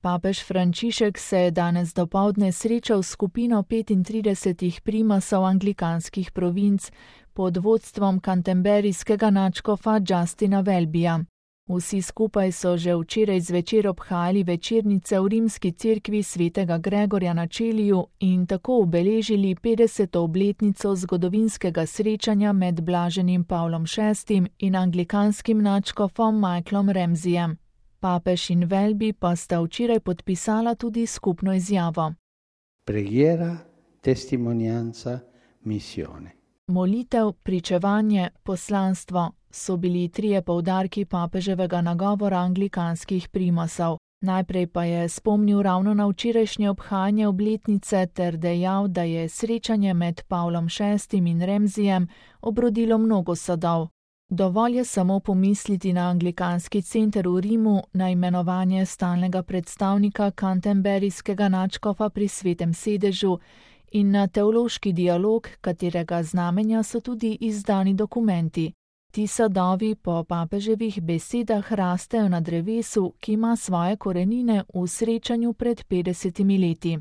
Papež Frančišek se je danes dopoldne srečal s skupino 35 primasov anglikanskih provinc pod vodstvom kanterburyskega nadškofa Justina Welbyja. Vsi skupaj so že včeraj zvečer obhajali večernice v rimski cerkvi svetega Gregorja na Čeliju in tako obeležili 50. obletnico zgodovinskega srečanja med blaženim Pavlom VI in anglikanskim nadškofom Michaelom Ramseyjem. Papež in Welby pa sta včeraj podpisala tudi skupno izjavo. Preghiera, testimonianza, missione. Molitev, pričevanje, poslanstvo so bili trije poudarki papeževega nagovora anglikanskih primasov. Najprej pa je spomnil ravno na včerajšnje obhajanje obletnice ter dejal, da je srečanje med Pavlom VI in Ramseyjem obrodilo mnogo sadov. Dovolj je samo pomisliti na anglikanski center v Rimu, na imenovanje stalnega predstavnika kanterburyskega nadškofa pri Svetem sedežu in na teološki dialog, katerega znamenja so tudi izdani dokumenti. Ti sadovi po papeževih besedah rastejo na drevesu, ki ima svoje korenine v srečanju pred 50 leti.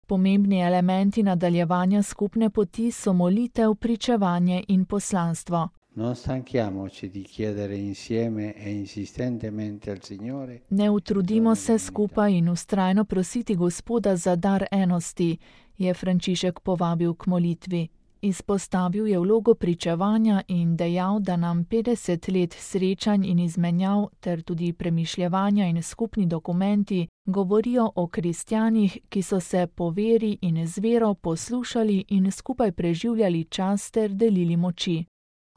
Pomembni elementi nadaljevanja skupne poti so molitev, pričevanje in poslanstvo. Non stanchiamoci di chiedere insieme e insistentemente al Signore. Ne utrudimo se skupaj in vztrajno prositi Gospoda za dar enosti, je Frančišek povabil k molitvi. Izpostavil je vlogo pričevanja in dejal, da nam 50 let srečanj in izmenjav ter tudi premišljevanja in skupni dokumenti govorijo o kristjanih, ki so se po veri in z vero poslušali in skupaj preživljali čas ter delili moči.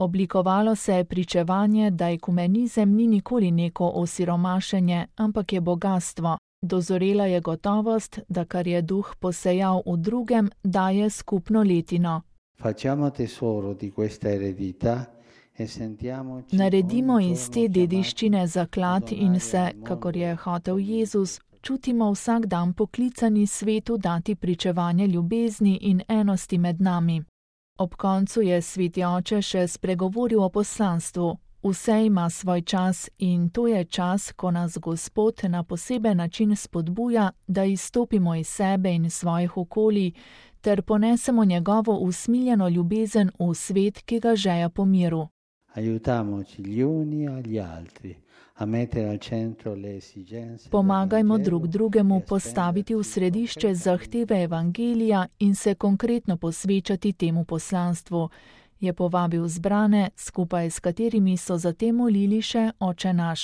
Oblikovalo se je pričevanje, da ekumenizem ni nikoli neko osiromašenje, ampak je bogastvo. Dozorela je gotovost, da kar je duh posejal v drugem, daje skupno letino. Naredimo iz te dediščine zaklad in se, kakor je hotel Jezus, čutimo vsak dan poklicani svetu dati pričevanje ljubezni in enosti med nami. Ob koncu je sveti oče še spregovoril o poslanstvu. Vse ima svoj čas in to je čas, ko nas Gospod na poseben način spodbuja, da izstopimo iz sebe in svojih okolij ter ponesemo njegovo usmiljeno ljubezen v svet, ki ga žeja po miru. Pomagajmo drug drugemu postaviti v središče zahteve evangelija in se konkretno posvečati temu poslanstvu, je povabil zbrane, skupaj s katerimi so zatem molili še Oče naš.